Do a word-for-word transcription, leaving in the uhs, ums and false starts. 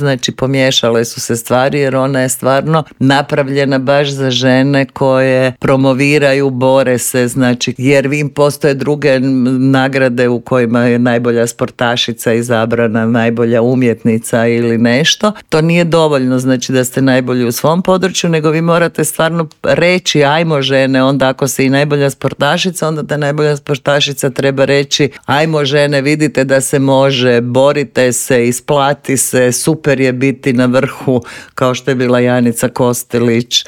Znači pomiješale su se stvari jer ona je stvarno napravljena baš za žene koje promoviraju, bore se, znači jer im postoje druge nagrade u kojima je najbolja sportašica izabrana, najbolja umjetnica ili nešto. To nije dovoljno, znači da ste najbolji u svom području, nego vi morate stvarno reći ajmo žene, onda ako si i najbolja sportašica, onda ta najbolja sportašica treba reći ajmo žene, vidite da se može, borite se, isplati se, super je biti na vrhu kao što je bila Janica Kostelić